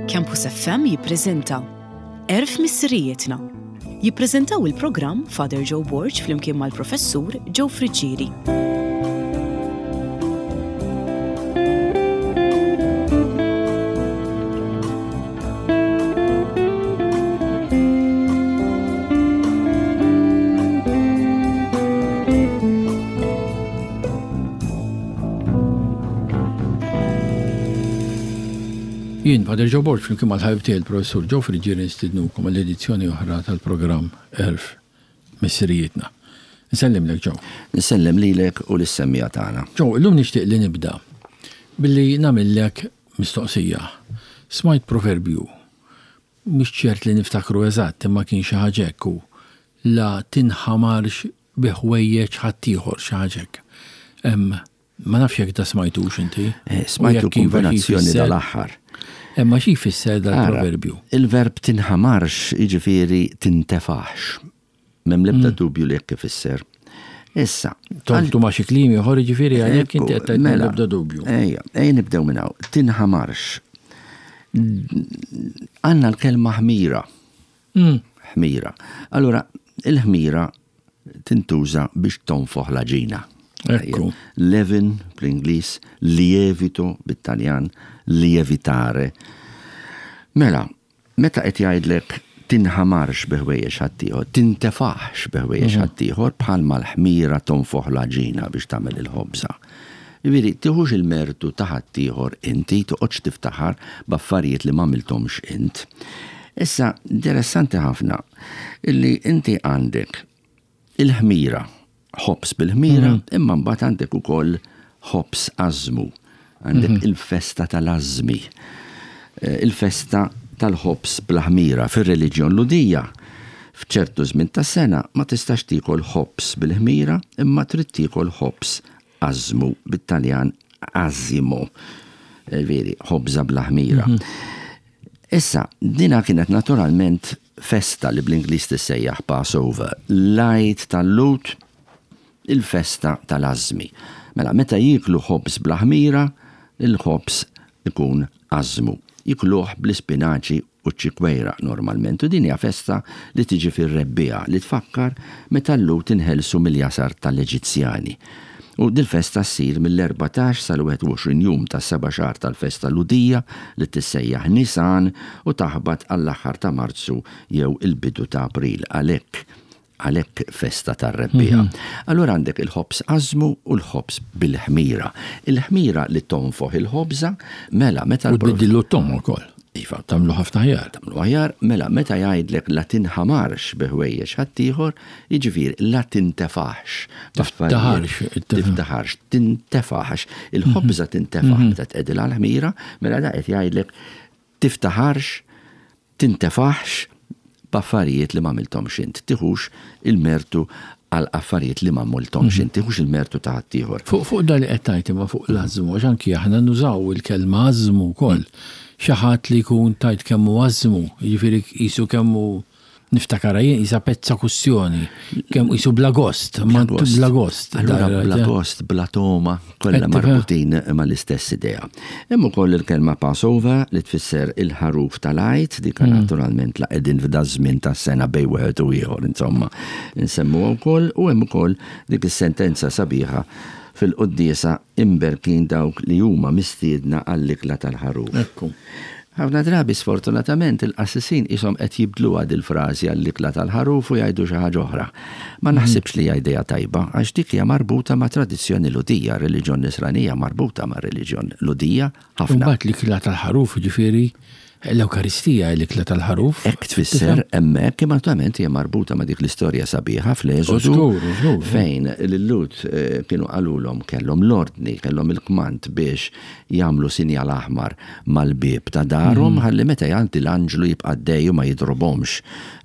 Campus FM jippreżenta Għerf Missirijietna. Jippreżentaw il-programm Father Joe Borg flimkien mal-Professur Joe Friggieri. Jien, Father Joe Borg, flimkien mal-ħabib tiegħi l-Professur Joe Friggieri nistidnukom għal edizzjoni oħra tal-programm Għerf Missirijietna. Nsellimlek Joe. Nsellem lilek u lis-semmiegħa tagħna. Joe, illum nixtieq li nibda billi nagħmillek mistoqsija. Smajt proverbju, mhux ċert li niftakru eżatt imma kien xi ħaġa hekk hu, la tinħamarx bi ħwejjeġ ħaddieħor, xi ħaġa hekk. Ma nafx jekk da smajtux inti. Eh, smajtu iva, kombinazzjoni dal-aħħar. Imma xi jfisser dal-proverbju? Il-verb tinħamarx jiġifieri tintefax. M'hemm l-ebda mm. dubju li jekk ifisser. Issa. Toltu ma xi kliem ieħor jiġifieri għalhekk inti qed tgħid mela, l-ebda dubju. Ejja, ejja nibdew minn hawn. Tinħamarx. Għandna l-kelma ħmira. Mm. Ħmira. Allura, il-ħmira tintuża biex tonfoħ l-għaġina. Ekku. Levin bl-Ingliż, lievito bit-Taljan, lievitare. Mela, meta qed jgħidlek tinħamarx bi ħwejjeġ ħaddieħor, tintefaħx bi ħwejjeġ mhm. ħaddieħor bħalma l-ħmira tonfoħ l-għaġina biex tagħmel il-ħobża. Jiġifieri, tiħux il-mertu ta' ħaddieħor inti, toqgħodx tiftaħar b'affarijiet li m'għamilthomx int. Issa, interessanti ħafna illi inti għandek il-ħmira, ħobż bil-ħmira, mhm. imma mbagħad għandek ukoll ħobż ażmu. Għandek mhm. il-festa tal-ażmi. Eh, il-festa tal-ħobż bla ħmira fir-reliġjon Lhudija. F'ċertu żmien tas-sena ma tistax tiekol ħobż bil-ħmira imma trid tiekol ħobż ażmu bit-Taljan azimo. Eh, veri, ħobża bla ħmira. Mhm. Issa, dina kienet naturalment festa li bl-Ingliż tissejjaħ Passover, l-Għid tal-Lhud, il-festa tal-ażmi. Mela, meta jieklu ħobż bla ħmira, il-ħobż ikun ażmu. Jikluh bl-ispinaċi u ċ-ċikwejra normalment u din hija festa li tiġi fir-rebbiegħa li tfakkar meta l-Lhud inħelsu mill-jasar tal-Eġizzjani. U dil-festa ssir mill-erbatax sal-21 jum tas-seba' xahar tal-festa Lhudija li tissejjaħ Nisan u taħbat għall-aħħar ta' Marzu jew il-bidu ta' April għalhekk għalhekk festa tar-rebbiegħa. Allura għandek il-ħobż ażmu u l-ħobż bil-ħmira. Il-ħmira li tonfoħ il-ħobża, mela meta U tbiddillu t-togħma wkoll. Iva. Tagħmlu ħafna aħjar. Tagħmlu aħjar, mela meta jgħidlek la tinħamarx bi ħwejjeġ ħaddieħor, jiġifieri la tintefaħx. Tiftaħarx. Tiftaħarx, tintefaħx. Il-ħobża tintefaħ meta tqegħdilha l-ħmira, mela da qed jgħidlek tiftaħarx, tintefaħx b'affarijiet li m'għamilthomx int, tiħux il-mertu għal affarijiet li m'għamilthomx int, tiħux il-mertu ta' ħaddieħor. Fuq fuq dan li qed tgħid imma fuq l-għażmu, għax anki aħna nużaw il-kelma għażmu wkoll. Xi ħadd li jkun tgħid kemm hu għażmu, jiġifieri qisu kemm hu niftakarha jien qisha pezza kustjoni, kemm qisu bla gost, bla gost. Allura bla gost, bla togħma, kollha marbutin mal-istess idea. Hemm ukoll il-kelma Passover li tfisser il-ħaruf tal-Għid, dik mm. naturalment la qegħdin f'da żmien tas-sena bej wieħed u ieħor, insomma, nsemmuha wkoll u hemm ukoll dik is-sentenza sabiħa fil-quddiesa imberkin dawk li huma mistiedna għall-ikla tal-ħaruf. Ekku. Ħafna drabi sfortunatament il-qassisin qishom qed jibdluha dil-frażi għall-ikla tal-ħaruf u jgħidu xi ħaġa oħra. Ma naħsibx li hija idea tajba għax dik hija marbuta ma' tradizzjoni Lhudija, r-reliġjon Nisranija marbuta mar-reliġjon Lhudija ħafna. Imbagħad l-ikla tal-ħaruf jiġifieri l-Ewkaristija hi l-ikla tal-ħaruf. Hekk tfisser hemmhekk imma naturalment hija marbuta ma' dik l-istorja sabiħa fl-Eżodu fejn lil-Lhud kienu qalulhom kellhom l-ordni, kellhom il-kmand biex jagħmlu sinjal aħmar mal-bieb ta' darhom ħalli meta jgħaddi l-anġlu jibqa' għaddej u ma jidrobhomx.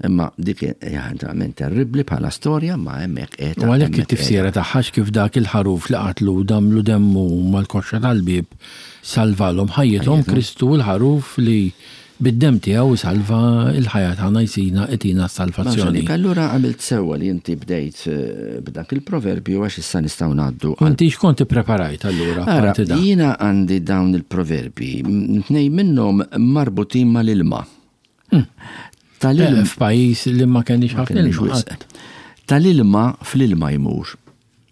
Imma dik hija verament terribbli bħala storja imma hemmhekk qiegħda. U għalhekk it-tifsira tagħha kif dak il-ħaruf li qatlu u damlu demmu mal-koxxa tal-bieb salvalhom ħajjithom, Kristu hu l-ħaruf li. Bid-demm tiegħu jsalva l-ħajja tagħna jsina itina s-salvazzjoni. Allura għamilt sewwa li inti bdejt eh, b'dak il-proverbju għax issa nistgħu ngħaddu. Inti x'kont ippreparajt allura? Ara, jiena għandi dawn il-proverbi, tnej minnhom marbutin mal-ilma. Hmm. Tal-ilma eh, f'pajjiż li ma kenniex ħafna ilma. Tal-ilma fl-ilma jmur.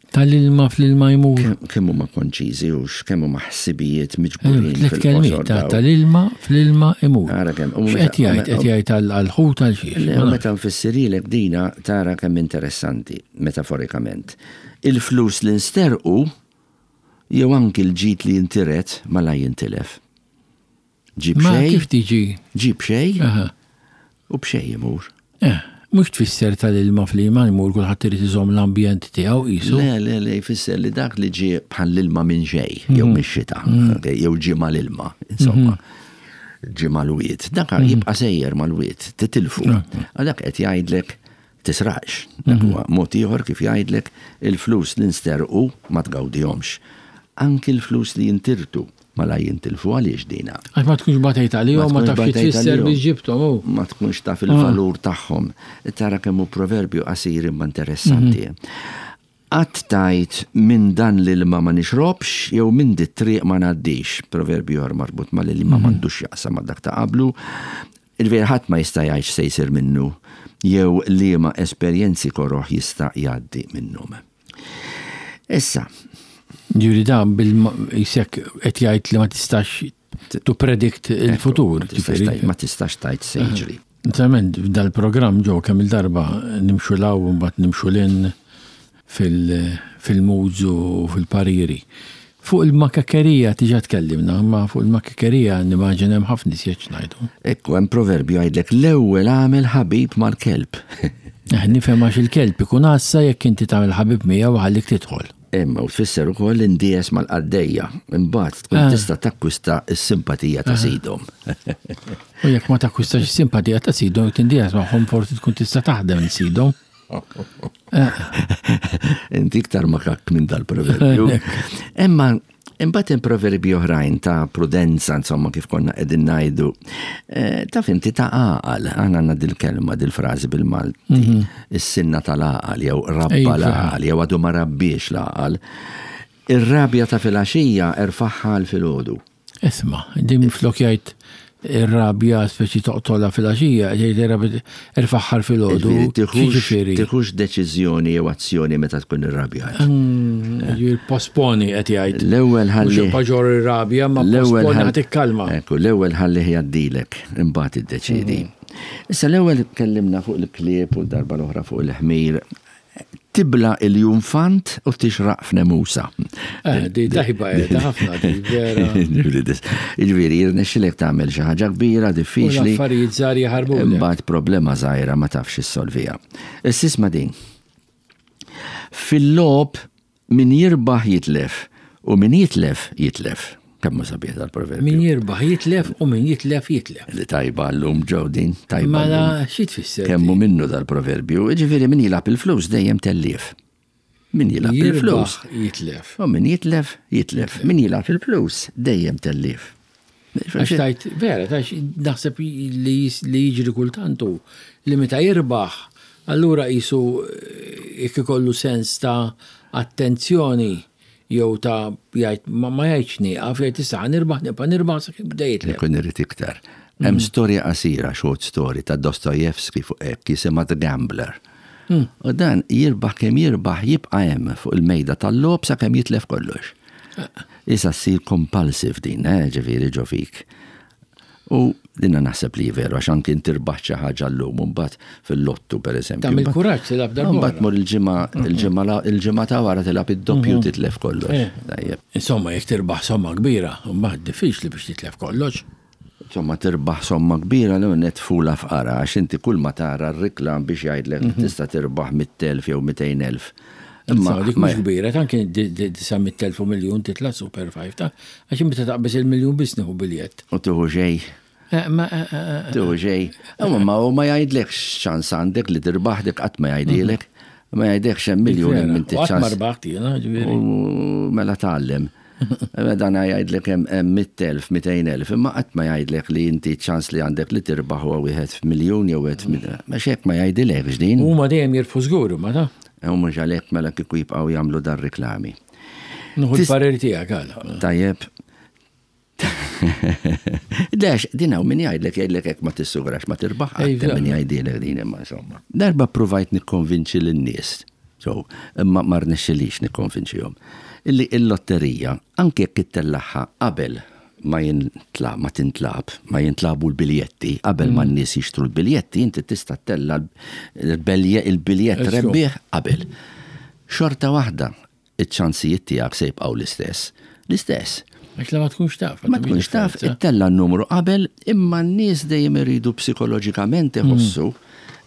Tal-ilma fl-ilma jmur. Kemm huma konċiżi u kemm huma ħsibijiet miġburin. Tliet kelmiet tal-ilma fl-ilma imur. Ara kemm. X'qed jgħid? Qed jgħid għall-ħut għal xiex. Meta nfissirhielek dina tara kemm interessanti metaforikament. Il-flus li nsterqu jew anki l-ġid li jintiret malaj jintilef. Ġib xejn. Kif tiġi? Ġib xejn. U b'xejn imur. Eh, mhux tfisser tal-ilma fl-ilma jmur kulħadd irid iżomm l-ambjent tiegħu qisu. Le, le, le, jfisser li dak li ġie bħall-ilma minn xejn, jew mhm. mix-xita, mhm. jew ġie mal-ilma, insomma. Mhm. Ġie mal-wied. Dak jibqa' sejjer mal-wied, titilfu. Għalhekk qed jgħidlek Tisraqx. Dak huwa mod ieħor kif jgħidlek il-flus li nsterqu ma tgawdihomx. Anki l-flus li jintirtu malajr jintilfu. Għaliex dina? Għax ma tkunx batejt għalihom, ma tafx xi tfisser biex ġibthom hu. Ma tkunx taf il-valur tagħhom. Tara kemm hu proverbju qasir imma interessanti. Qatt tgħid minn dan l-ilma ma nixrobx jew minn dit-triq ma ngħaddix. Proverbju ieħor marbut mal-ilma m'għandux x'jaqsam ma' dak ta' qablu. Jiġifieri ħadd ma jista' jgħid x'se jsir minnu jew liema esperjenzi koroh jista' jgħaddi minnhom. Issa. Jiġifieri dan bil qisek qed jgħid li ma tistax to predict il-futur. Ma tistax tgħid se jiġri. Naturalment, f'dal-programm ġo kemm il-darba nimxu 'l hawn u mbagħad nimxu 'l hinn fil-moods u fil-pariri. Fuq il-makakkerija diġà tkellimna, imma fuq il-makakkerija nimmaġina hemm ħafna iżjed x'ngħidu. Ekku, hemm proverbju jgħidlek l-ewwel agħmel ħabib mal-kelb. Eh, nifhem għax il-kelb ikun għassa jekk inti tagħmel ħabib miegħu iħallik tidħol. Imma u tfisser ukoll indies mal-qaddejja, imbagħad tkun ah. tista' takkwista s-simpatija ta' ah. sidhom. U jekk ma takkwistax is-simpatija ta' sidhom, jekk tindies magħhom forsi tkun tista' taħdem sidhom. Eh. Inti iktar makak minn dal-proverbju. Imma Imbagħad hemm proverbi oħrajn ta' prudenza, insomma, kif konna qegħdin ngħidu. Eh, taf inti ta' għaqal, aħna għandna dil-kelma, dil-frażi bil-Malti, mhm. is-sinna tal-għaqal jew rabba l-għaqal jew għadu ma rabbiex l-għaqal. Ir-rabja ta' filgħaxija erfaħħa għal filgħodu. Isma', din minflok jgħid ir-rabja speċi toqtolha filgħaxija, jgħid ir-rabja erfagħha filgħodu. Jiġifieri. Tiħux deċiżjoni jew azzjoni meta tkun irrabjat. Mm, jiġifieri posponi qed jgħid. L-ewwel ħalli. Mhux paġor ir-rabja, ma posponi ħa tikkalma. Ekku, l-ewwel ħalli jgħaddilek, imbagħad iddeċiedi. Mm. Issa l-ewwel tkellimna fuq il-klieb u l-darba l-oħra fuq il-ħmir. Tibla' il-junfant u tixraq f'nemusa. Eh, di tajba qiegħda ħafna di vera. Jiġifieri jirnexxilek tagħmel xi ħaġa kbira, diffiċli. Affarijiet żgħar jaħarbu. Imbagħad problema żgħira ma tafx issolviha. Issa isma' din. Fil-logħob Min jirbaħ jitlef u min jitlef jitlef. Kemm hu sabiħ dal-proverbju. Min jirbaħ jitlef u min jitlef jitlef. Li tajba llum ġew din, tajba. Mela xi tfisser? Kemm hu minnu dal-proverbju? Jiġifieri min jilgħab il-flus dejjem tellief. Min jilgħab il-flus. Jitlef. U min jitlef, jitlef. Min jilgħab il-flus dejjem tellief. Għax tajt, vera, tax naħseb li jiġri kultant hu li meta jirbaħ, allura qisu eh, jekk ikollu sens ta' attenzjoni jew ta' jgħid ma jgħidx nieqaf, jgħid issa ħa nirbaħ, nibqa' nirbaħ sakemm bda jitlef. Ikun irid iktar. Hemm mm. storja qasira, short story ta' Dostoyevsky fuq hekk jisimha The Gambler. Mm. U dan jirbaħ kemm jirbaħ jibqa' hemm fuq il-mejda tal-logħob sakemm jitlef kollox. Issa ssir compulsive din, eh, ġifieri ġo fik. U dinna naħseb li veru għax anki inti rbaħt xi ħaġa llum u mbagħad fil-lottu pereżempju. Tagħmel kuraġġ tilgħab darba. Mbagħad tmur il-ġimgħa il-ġimgħa il-ġimgħa ta' wara tilgħab id-doppju mhm. titlef kollox. Eh. Tajjeb. Insomma, jekk tirbaħ somma kbira, mbagħad diffiċli biex titlef kollox. Insomma, tirbaħ somma kbira l net fula fqara għax inti kull ma tara r-riklam biex jgħidlek mhm. tista' tirbaħ mit-telf jew 200,000. Imma dik mhux kbira, ta' kien 900,000 u miljun titla' Super 5 ta' għax meta taqbeż il-miljun biss nieħu biljett. U tieħu xejn. Eh, eh, eh, tieħu xejn. Imma ma hu ma jgħidlekx ċans għandek li tirbaħ dik qatt ma jgħidilek. Ma jgħidlekx hemm miljun hemm inti ċans. Ma rbaħt jiena, ġifieri. Mela tgħallem. Dan jgħidlek hemm 100,000, 200,000, imma qatt ma jgħidlek li inti ċans li għandek li tirbaħ huwa wieħed f'miljun jew wieħed f'miljun. Għax hekk ma jgħidilekx din. Huma dejjem jirbħu żgur huma ta'. U mhux għalhekk mela kieku jibqgħu jagħmlu dar riklami. Nieħu l-parir tiegħek għala. Tajjeb. Lex, din hawn min jgħidlek jgħidlek hekk ma tissugrax ma tirbaħ qatt min jgħidilek din imma insomma. Darba ppruvajt nikkonvinċi lin-nies, so, imma ma rnexxilix nikkonvinċihom, illi l-lotterija anke jekk ittellagħha qabel ma jintla ma tintlagħab, ma jintlagħbu l-biljetti, qabel ma n-nies jixtru l-biljetti, inti tista' ttella' l-biljett rebbieħ qabel. Xorta waħda, iċ-ċansijiet tiegħek se jibqgħu l-istess. L-istess. Għax la ma tkunx taf. Ma tkunx taf, ittella' n-numru qabel, imma n-nies dejjem iridu psikoloġikament iħossu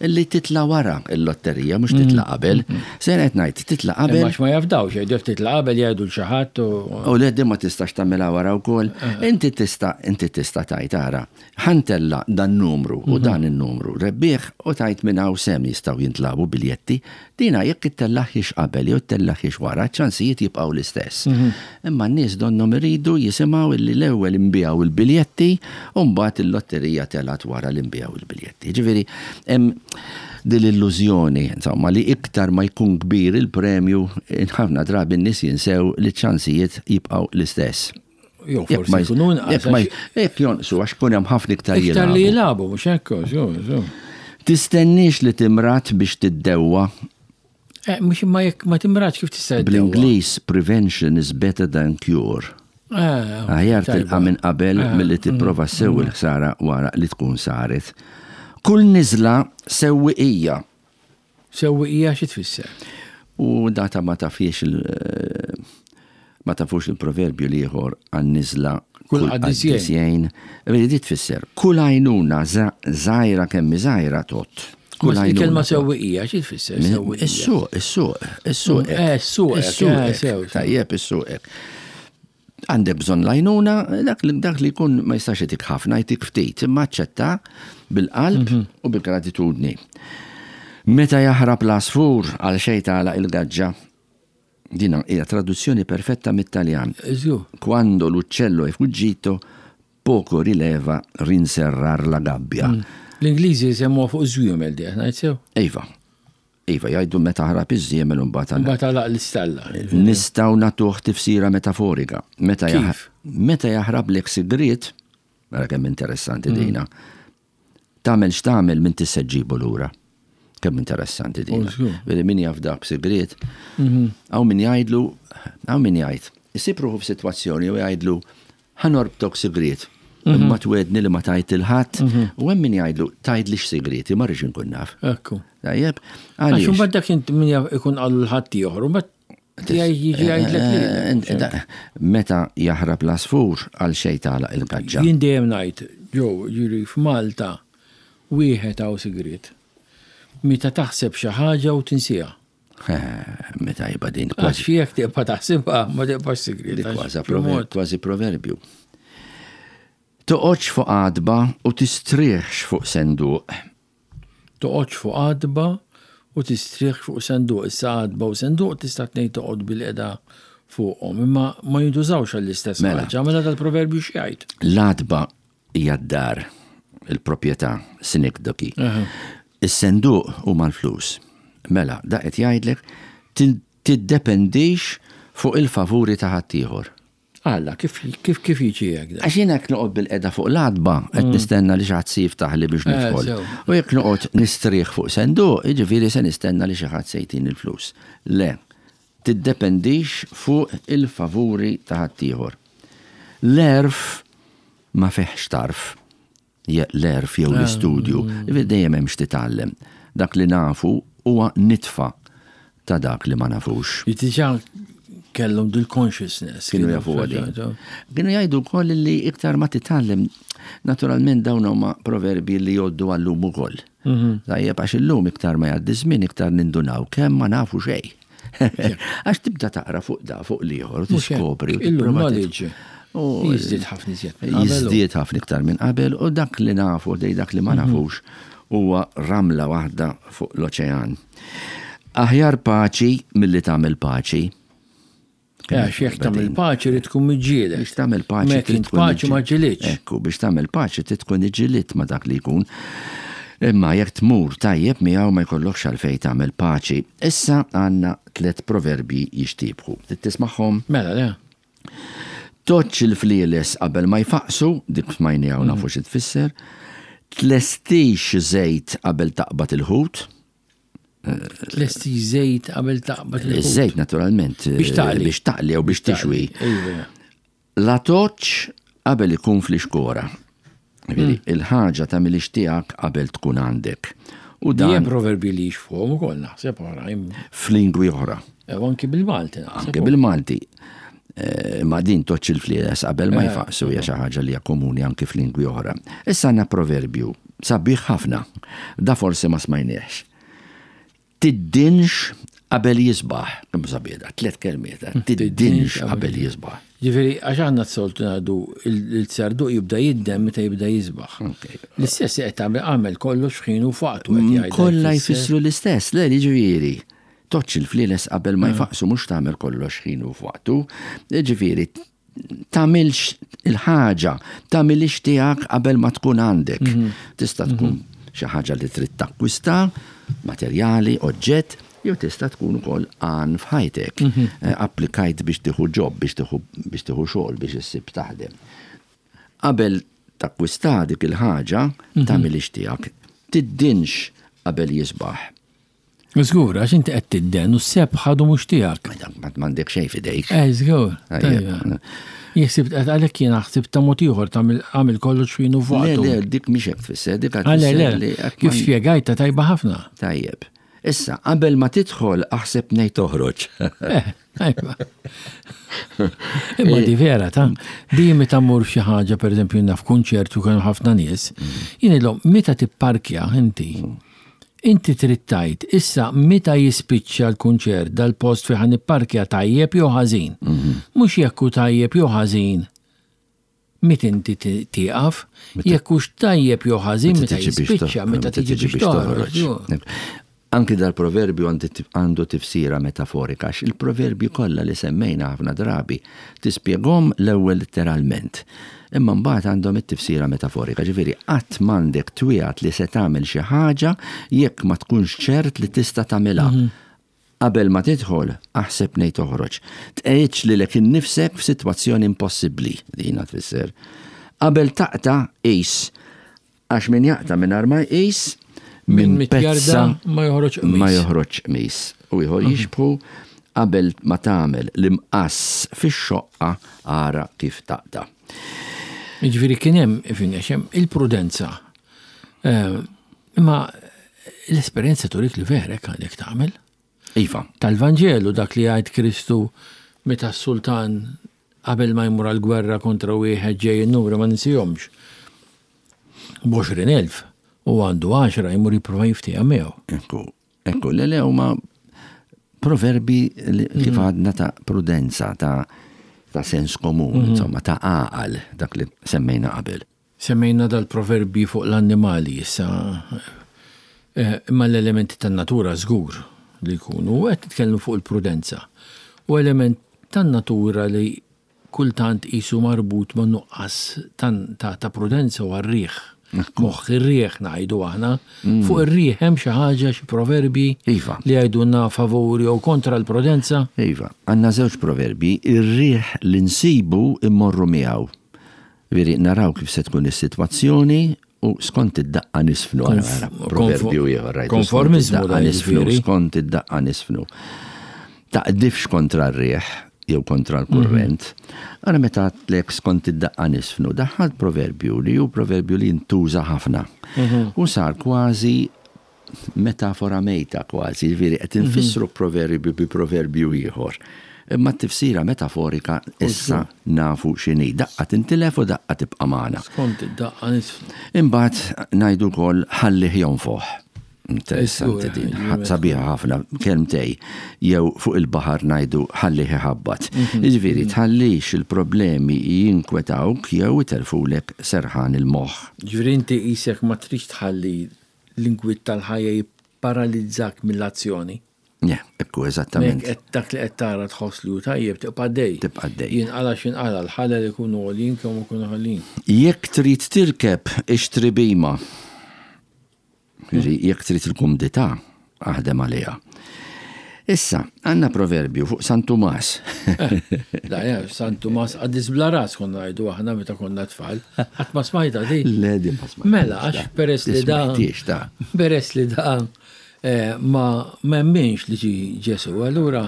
li titla' wara l-lotterija, mhux titla' qabel. Se qed ngħid, titla' qabel. Imma ma jafdawx, jgħidu jekk titla' qabel jgħidu l xi ħadd u. U le din ma tistax tagħmilha wara wkoll. Inti tista' inti tista' tgħid ara, ħa ntella' dan numru u dan in-numru rebbieħ u tgħid minn hawn s'hemm jistgħu jintlagħbu biljetti. Dina jekk ittellagħhiex qabel jew ittellagħhiex wara, ċ-ċansijiet jibqgħu l-istess. Imma n-nies donnhom iridu jisimgħu illi l-ewwel inbiegħu l-biljetti u mbagħad il-lotterija telgħet wara li nbiegħu l-biljetti. Jiġifieri hemm din l-illużjoni, insomma, li iktar ma jkun kbir il-premju, ħafna drabi n-nies jinsew li ċ-ċansijiet jibqgħu l-istess. Jew forsi jkunu inqas. Jekk jonqsu għax kun hemm ħafna iktar jilagħbu. Iktar li jilagħbu, mhux hekk, Tistenniex li timrad biex tiddewwa. Eh, mhux imma jekk ma timradx kif tista' Bl-Ingliż prevention is better than cure. Eh, Aħjar tilqa' minn qabel eh, milli tipprova ssewwi l-ħsara wara li tkun saret. Kull niżla sewwiqija. Sewwiqija xi tfisser? U data ma tafiex il ma tafux il-proverbju l-ieħor għan-niżla kull qaddis jgħin. Vedi di tfisser kull għajnuna żgħira kemm żgħira tgħodd. Kull għajnuna. Il-kelma sewwiqija xi tfisser sewwiqija? Is-suq, is-suq, is-suq. Eh, is-suq, is-suq. Tajjeb is-suq. Għandek bżonn l-għajnuna, dak li dak li jkun ma jistax jtik ħafna, jtik ftit, imma aċċetta bil-qalb mhm. u bil-gratitudni. Meta jaħrab l-għasfur għal xejn tagħlaq il-gaġġa. Dina hija traduzzjoni perfetta mit-Taljan. Quando l'uccello è fuggito, poco rileva rinserrar la gabbia. Mm. L-Ingliżi jsemmuha fuq żwiemel di, ngħid sew? Iva. Iva, jgħidu meta ħarab iż-żiemel u mbagħad għalaq. Mbagħad għalaq l-istalla. Nistgħu nagħtuh tifsira metaforika. Meta Kif? Meta jaħrablek sigriet, ara kemm interessanti mm. dina, tagħmel x'tagħmel minn se ġġibu lura. Kemm interessanti dina. Veri min jaf dak sigriet, mhm. hawn min jgħidlu, hawn min jgħid, isib ruħu f'sitwazzjoni u jgħidlu Ħa norbtok sigriet, imma twegħedni li ma tgħid lil ħadd, u hemm min jgħidlu, tgħidlix sigrieti, ma rridx inkun naf. Ekku. Tajjeb? Għaliex? Għax imbagħad dak int min jaf ikun qalu lil ħadd ieħor, u mbagħad tiegħi jiġi jgħidlek lili. Meta jaħrab l-għasfur, għal xejn tagħlaq il-gaġġa. Jien dejjem ngħid, Joe, jiġifieri f'Malta wieħed hawn sigriet. Meta taħseb xi ħaġa u tinsiha. Meta jibqa' din kważi. Għax jekk tibqa' taħsibha ma tibqax sigriet. Kważi proverbju. Toqgħodx fuq għatba u tistrieħx fuq senduq. Toqgħodx fuq għatba u tistrieħx fuq senduq. Issa għatba u senduq tista' tnejn toqgħod bil-qiegħda fuqhom, imma ma jintużawx għall-istess mela. ħaġa. Mela dal-proverbju x'jgħid? L-għatba hija d-dar, il-proprjetà, synecdoche. Is-senduq huma l-flus. Mela, da qed jgħidlek tiddependix fuq il-favuri ta' ħaddieħor. Alla, kif kif kif jiġi hekk dan? Għax jien jekk noqgħod bilqiegħda fuq l-għatba qed mm. nistenna li xi ħadd se jiftaħli biex eh, nidħol. U jekk noqgħod nistrieħ fuq senduq, jiġifieri se nistenna li xi ħadd se jtini l-flus. Le, tiddependix fuq il-favuri ta' ħaddieħor. L-għerf ma fihx tarf, l-għerf jew l-istudju, ah. dejjem hemm x'titgħallem. Dak li nafu huwa nitfa ta' dak li ma nafux. Diġà kellhom dil-consciousness. Kienu jafu għadi. Kienu jgħidu wkoll li iktar ma titgħallem, naturalment dawn huma proverbi li jgħoddu għallum ukoll. Mhm. Tajjeb għax illum iktar ma jgħaddi żmien iktar nindunaw kemm ma nafu xejn. Għax tibda taqra fuq da fuq l-ieħor u tiskopri. Illum knowledge. Jiżdied ħafna iżjed minn qabel. Jiżdied ħafna iktar minn qabel u dak li nafu dej dak li ma mhm. nafux huwa ramla waħda fuq l-oċean. Aħjar paċi milli tagħmel paċi. Għax jekk tagħmel paċi li tkun miġġieled. Biex tagħmel paċi trid tkun paċi ma ġilitx. Ekku, biex tagħmel paċi trid tkun iġġilidt ma dak li jkun. Imma jekk tmur tajjeb miegħu ma jkollokx għalfejn tagħmel paċi. Issa għandna tlett proverbji jixtiebħu. Trid tismagħhom? Mela, le. Toċċ il-flieles qabel ma jfaqqsu, dik smajniha u nafu xi tfisser. Tlestix żejt qabel taqbad il-ħut. Tlesti żejt qabel taqbad il-ħut. Iż-żejt naturalment. Biex taqli. Biex taqli jew biex tixwi. Iva. La toċ qabel ikun fl-ixkora. Hmm. Il-ħaġa ta' milix tiegħek qabel tkun għandek. U dan. Hemm proverbi li jixfuhom ukoll naħseb oħrajn. F'lingwi oħra. E, anki bil-Malti naħseb. Anki bil-Malti. Eh, ma din toċ il-flieles qabel ma eh. jfaqsu hija xi ħaġa li hija komuni anki f'lingwi oħra. Issa għandna proverbju sabiħ ħafna. Da forsi ma smajniex. Tiddinx qabel jisbaħ. Kemm sabiħ da, tliet kelmiet, eh? tiddinx qabel jisbaħ. Ġifieri għax aħna s-soltu ngħidu il-sarduq jibda jiddem meta jibda jisbaħ. L-istess qed tagħmel għamel kollox f'ħin u f'waqtu qed jgħid. Kollha jfissru l-istess, le jiġifieri. Toċċ il-flieles qabel ma jfaqsu mhux tagħmel kollox ħin u f'waqtu. Ġifieri, tagħmilx il-ħaġa, tagħmilix tiegħek qabel ma tkun għandek. Mhm. Tista' tkun mhm. xi ħaġa li trid takkwista, materjali, oġġett, jew tista' tkun ukoll għan f'ħajtek. Mhm. Eh, applikajt biex tieħu ġob, biex tieħu biex tieħu xogħol biex issib taħdem. Qabel takkwista dik il-ħaġa, tagħmilix tiegħek. Tiddinx qabel jisbaħ. Żgur, għax inti qed tidden u s-seb ħadu mhux tiegħek. M'għandek xejn f'idejk. Eh, żgur. Jien ħsibt għalhekk jiena ħsibt ta' mod ieħor ta' għamil kollox finu fuq. Le, le, dik mhix hekk tfisser, dik qed tfisser li. Kif spjegajta tajba ħafna. Tajjeb. Issa, qabel ma tidħol aħseb ngħid toħroġ. Eh, tajba. Imma di vera ta' di meta mmur f'xi ħaġa pereżempju naf kunċert u kienu ħafna nies, mm. jien ilhom meta tipparkja inti. Mm. Inti trid tgħid, issa meta jispiċċa l-kunċert dal-post fejn ħa nipparkja tajjeb jew ħażin. Mhux jekk hu tajjeb jew ħażin meta inti tieqaf, jekk hux tajjeb jew ħażin meta jispiċċa, meta tiġi biex toħroġ. Anki dal-proverbju għandu tifsira metaforika, għax il-proverbji kollha li semmejna ħafna drabi tispjegahom l-ewwel litteralment. Imma mbagħad għandhom it-tifsira metaforika, ġifieri qatt m'għandek twiegħed li se tagħmel xi ħaġa jekk ma tkunx ċert li tista' tagħmilha. Qabel ma tidħol, aħseb nej toħroġ. Tqegħidx lilek innifsek f'sitwazzjoni impossibbli, dina tfisser. Qabel taqta' qis. Għax min jaqta' mingħajr ma jqis, minn pezza ma joħroġ qmis. Ma joħroġ qmis. U ieħor jixbħu qabel ma tagħmel l-imqass fix-xoqqa ara kif taqta'. Jiġifieri kien hemm, ifhimni, għax hemm il-prudenza. Eh, imma l-esperjenza turik li vera hekk għandek tagħmel. Iva. Tal-Vanġelu dak li jgħid Kristu meta s-sultan Qabel ma jmur għall-gwerra kontra wieħed ġej in-numri ma ninsihomx. B'20,000 u għandu għaxra jmur jipprova jiftiehem miegħu. Ekku, ekku, le le huma proverbi li kif mhm. għadna ta' prudenza, ta' ta' sens komun, mhm. insomma, ta' għaqal dak li semmejna qabel. Semmejna dal-proverbji fuq l-annimali issa, imma l-elementi tan-natura żgur li jkunu, u qed nitkellmu fuq il-prudenza. U element tan-natura li kultant qisu marbut ma' nuqqas ta' prudenza huwa r-riħ. Moħħ ir-riħ ngħidu aħna. Fuq ir-riħ hemm xi ħaġa, xi proverbji li jgħidulna favur jew kontra l-prudenza? Iva, għandna żewġ proverbji, ir-riħ li nsibu mmorru miegħu. Jiġifieri naraw kif se tkun is-sitwazzjoni u skont id-daqqa nisfnu. Proverbju ieħor rajtu. Konformiżmu da nisfnu, skont id-daqqa nisfnu. Taqdifx kontra r-riħ jew kontra l-kurrent. Mhm. Ara meta għedtlek skont id-daqqa nisfnu, daħħalt proverbju li hu proverbju li jintuża ħafna. Mhm. U sar kważi metafora mejta kważi, jiġifieri qed infissru proverbju bi proverbju ieħor. Imma t-tifsira metaforika issa nafu x'inhi. Daqqa tintilef u daqqa tibqa' magħna. Skont id-daqqa nisfnu. Imbagħad ngħidu wkoll ħallih jonfoħ. Interessanti din, sabiħa ħafna, kelmtej, jew fuq il-baħar ngħidu ħallih iħabbat. Jiġifieri tħallix il-problemi jinkwetawk jew itelfulek serħan il-moħħ. Jiġifieri inti qisek ma tridx tħalli L-inkwiet tal-ħajja jipparalizzak mill-azzjoni. Le, Ekku, eżattament. Dak li qed tara tħoss li hu tajjeb tibqa' għaddej. Tibqa' għaddej. Jinqala' x'inqala' l-ħalel ikunu għoljin kemm ikunu għoljin. Jekk trid tirkeb ixtri bhima. Jekk trid il-kumdità, aħdem għaliha. Issa, għandna proverbju fuq San Tumas. Da, ja, San Tumas qaddis bla ras konna ngħidu aħna meta konna tfal. Qatt ma smajta di. Le, di ma smajta. Mela, għax peress li da. Peress li da eh, ma memminx li ġi Ġesu, allura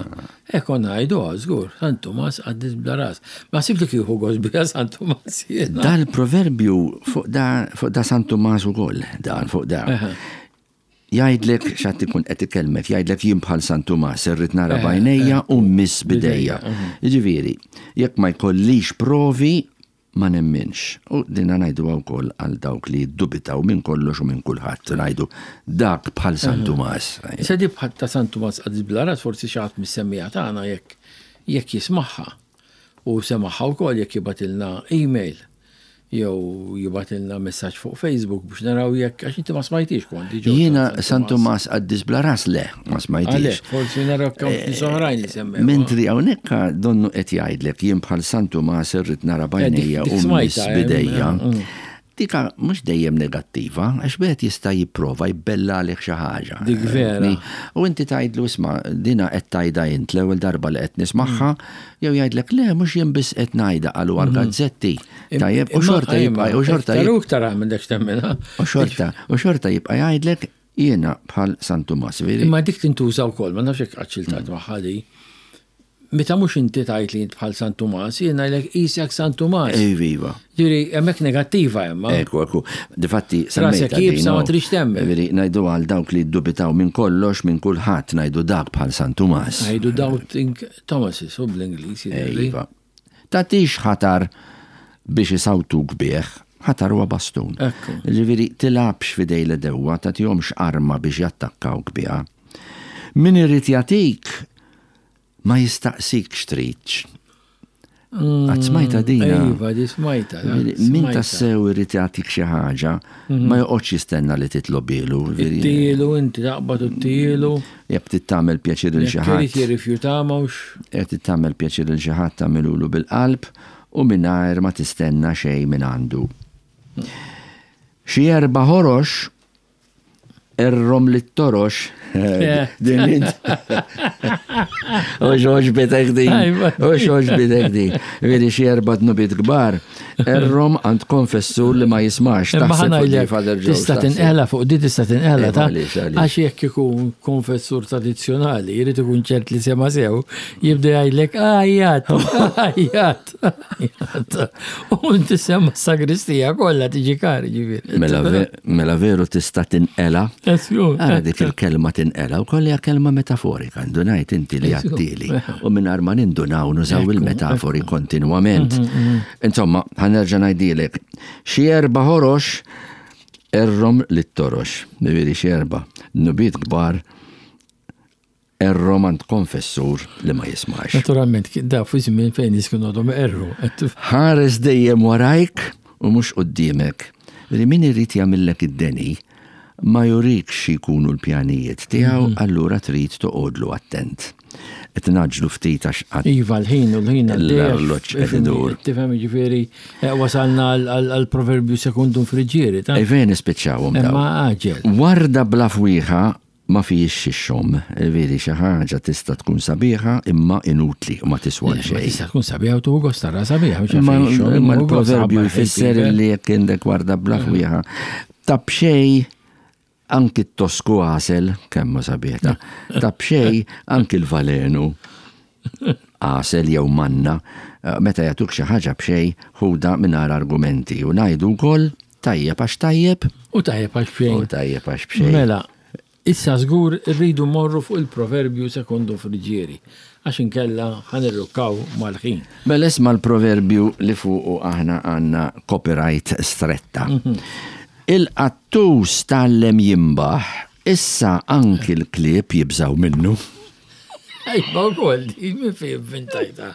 eh konna ngħidu żgur, San Tumas qaddis bla ras. Ma sib li kieku gost bija San Tumas jiena. Dal-proverbju fuq da, fuq da San Tumas ukoll, dan fuq da. Jgħidlek x'għad ikun qed ikellmek, jgħidlek jien bħal San Tumas irrid nara b'għajnejja u mmiss b'idejja. Jiġifieri, jekk ma jkollix provi ma nemminx. U dinha ngħiduha wkoll għal dawk li jiddubitaw minn kollox u minn kulħadd. Ngħidu dak bħal San Tumas. Issa di bħal ta' San Tumas qaddis bla ras forsi xi ħadd mis-semmiegħa tagħna jekk jekk jismagħha u semagħha wkoll jekk jibgħatilna email jew jibgħatilna messaġġ fuq Facebook biex naraw jekk għax inti ma smajtix kont diġà. Jiena San Tumas qaddis bla ras le, ma smajtix. Għalhekk forsi naraw kemm nies oħrajn li semmew. Mentri hawnhekk donnu qed jgħidlek jien bħal San Tumas irrid nara b'għajnejja u mmiss b'idejja. Dika mhux dejjem negattiva, għax wieħed jista' jipprova jbella għalih xi ħaġa. Dik vera. U inti tgħidlu isma' dina qed tgħidha int l-ewwel darba li qed nismagħha, jew jgħidlek le mhux jien biss qed ngħidha qalu għall-gazzetti. Tajjeb, u xorta jibqa' u xorta jibqa' iktar minn dak x'temminha. U xorta, u xorta jibqa' jgħidlek jiena bħal San Tumas. Imma dik tintuża wkoll, ma nafx jekk qatt xiltat magħha di. Meta mhux inti tgħid li int bħal San Tumas, jien ngħidlek qisek San Tumas. Iva, iva. Ġifieri hemmhekk negattiva hemm. Ekku, ekku. Difatti semmejtha. Rasek iebsa ma tridx temmen. Ġifieri ngħidu għal dawk li ddubitaw minn kollox, minn kulħadd ngħidu dak bħal San Tumas. Ngħidu doubting Thomases u bl-Ingliż jidhirli. Iva. Tagħtix ħatar biex isawtuk bih, ħatar huwa bastun. Ekku. Ġifieri tilgħabx f'idej l-għedewwa, tagħtihomx arma biex jattakkawk biha. Min irid jagħtik Ma jistaqsikx tridx. Qatt smajta dina? Iva, di smajta. Min tassew irid jagħtik xi ħaġa, mhm. ma joqgħodx jistenna li titlobilu. Tielu inti taqbad u tielu. Jekk trid tagħmel pjaċir lil xi ħadd. Irid jirrifjuta mhux. Jekk trid tagħmel pjaċir lil xi ħadd tagħmilulu bil-qalb u mingħajr ma tistenna xejn minn għandu. Xi erba' ħorox Errom li t-torox. Din int. U xoġ bitek din. U xoġ bitek din. Veri xi erba dnubiet kbar. Errom għand konfessur li ma jismax. Imma ħa ngħidlek, tista' tinqela fuq di tista' tinqela ta' għax jekk ikun konfessur tradizzjonali jrid ikun ċert li sema sew, jibda jgħidlek ajjat, ajjat. U inti semma sagristija kollha tiġi kari ġifieri. Mela, mela veru tista' tinqela. Ara dik il-kelma tinqela u hija kelma metaforika, ndunajt inti li għattili. U mingħajr ma nindunaw nużaw il-metafori kontinwament. Mhm, mhm. Insomma, ħanerġa' ngħidilek, xi erba' ħorox errom lit-torox, ġifieri xi erba' nubiet kbar Errom għand konfessur li ma jismax. Naturalment, da fi żmien fejn nies kienu għadhom iqerru. Ħares dejjem warajk u mhux quddiemek. Li min irid jagħmillek id-deni ma jurikx xi jkunu l-pjanijiet tiegħu mhm. allura trid toqgħodlu attent. Qed naġlu ftit għax qatt. Iva l-ħin u l-ħin l-arloġġ qed idur. Tifhem jiġifieri eh, wasalna għall-proverbju sekundum friġġieri ta' Ejvejn nispiċċawhom. Imma għaġel. Warda bla fwieħa Ma fihiex ix-xogħom. Veri xi ħaġa tista' tkun sabiħa imma inutli u ma tiswa xejn. Tista' tkun sabiħa u tuħu gost tara sabiħa mhux għalfejn ix-xogħom. Imma l-proverbju jfisser li jekk għandek warda bla fwieħa ta' b'xejn anki t-tosku għasel, kemm hu sabiħ ta', ta' b'xejn anki l-valenu għasel jew manna, meta jagħtuk xi ħaġa b'xejn ħudha mingħajr argumenti u ngħidu wkoll tajjeb għax tajjeb. U tajjeb għax b'xejn. U tajjeb għax b'xejn. Mela, Issa żgur irridu mmorru fuq il-proverbju secondo Friggieri, għax inkella ħa nirrukkaw mal-ħin. Mela isma' l-proverbju li fuqu aħna għandna copyright stretta. Il-qattus tgħallem jinbaħ, issa anki l-klieb jibżgħu minnu. Tajba wkoll din, minn fejn ivvintajtha?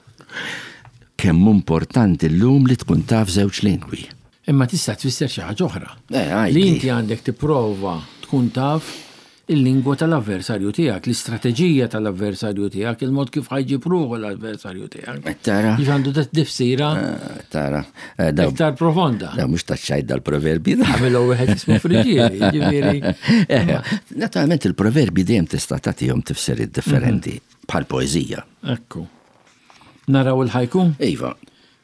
Kemm hu importanti llum li tkun taf żewġ lingwi. Imma tista' tfisser xi ħaġa oħra. Eh, li inti għandek tipprova tkun taf il-lingwa tal-avversarju tiegħek, l-istrateġija tal-avversarju tiegħek, il-mod kif ħa jġib ruħu l-avversarju tiegħek. Eh, tara. Kif għandu tifsira eh, tara. Eh, iktar profonda. Da mhux taċċajt dal-proverbi. Għamilu wieħed jismu friġieri, ġifieri. Naturalment il-proverbi dejjem tista' tagħtihom tifsiriet differenti mhm. bħal poeżija. Ekku. Naraw il-ħajku? Iva.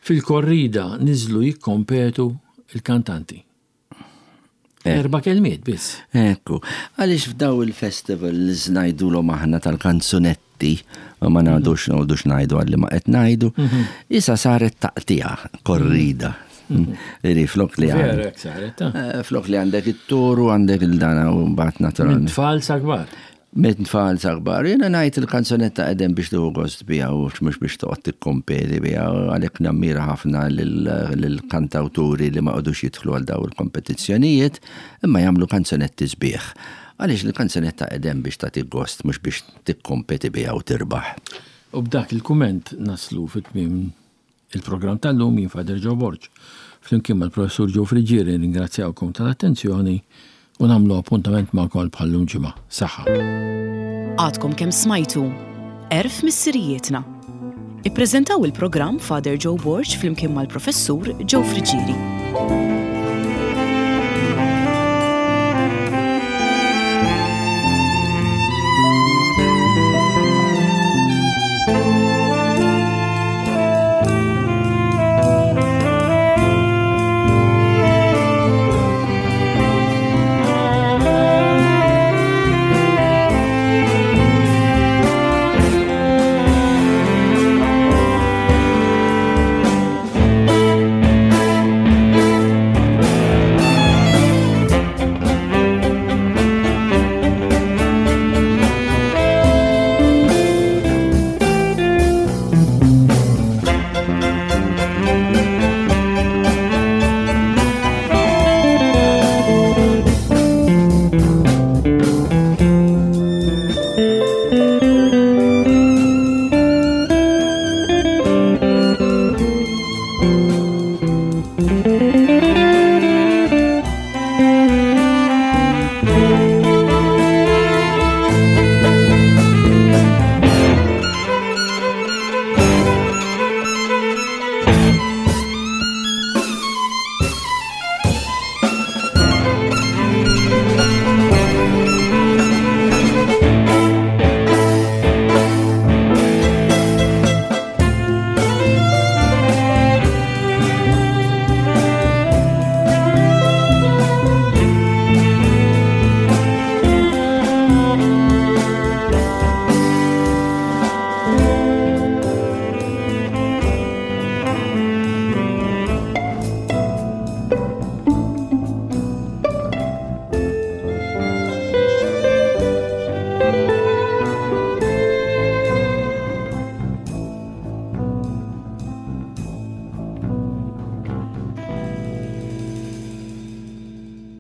Fil-korrida niżlu jikkompetu il-kantanti. Eh. Erba kelmiet biss. Ekku, għaliex f'daw il-festivals ngħidulhom aħna tal-kanzunetti, ma ngħidux ngħidux ngħidu għalli ma qed ngħidu, mhm. issa saret taqtija, korrida. Mhm. Iri, flok li għandek. Eh, flok li għandek it-toru, għandek il-dana u mbagħad naturalment. Tfal sa kbar. Minn tfal sa kbar. Jiena ngħid il-kanzunetta qegħdin biex tieħu gost biha u mhux biex toqgħod tikkompeti biha u għalhekk nammira ħafna lill-kantawturi li ma qogħdux jidħlu għal dawn il-kompetizzjonijiet imma jagħmlu kanzunetti sbieħ. Għaliex il-kanzunetta qegħdin biex tagħtik gost mhux biex tikkompeti biha u tirbaħ. U b'dak il-kumment naslu fi tmiem Il-programm tal-lum jien Father Joe Borg, flimkien mal-Professur Joe Friggieri nirringrazzjawkom tal-attenzjoni u nagħmlu appuntament magħkom għal bħal-lum ġimgħa. Saħħa. Għadkom kemm smajtu Għerf Missirijietna. Ippreżentaw il-programm Father Joe Borg flimkien mal-Professur Joe Friggieri.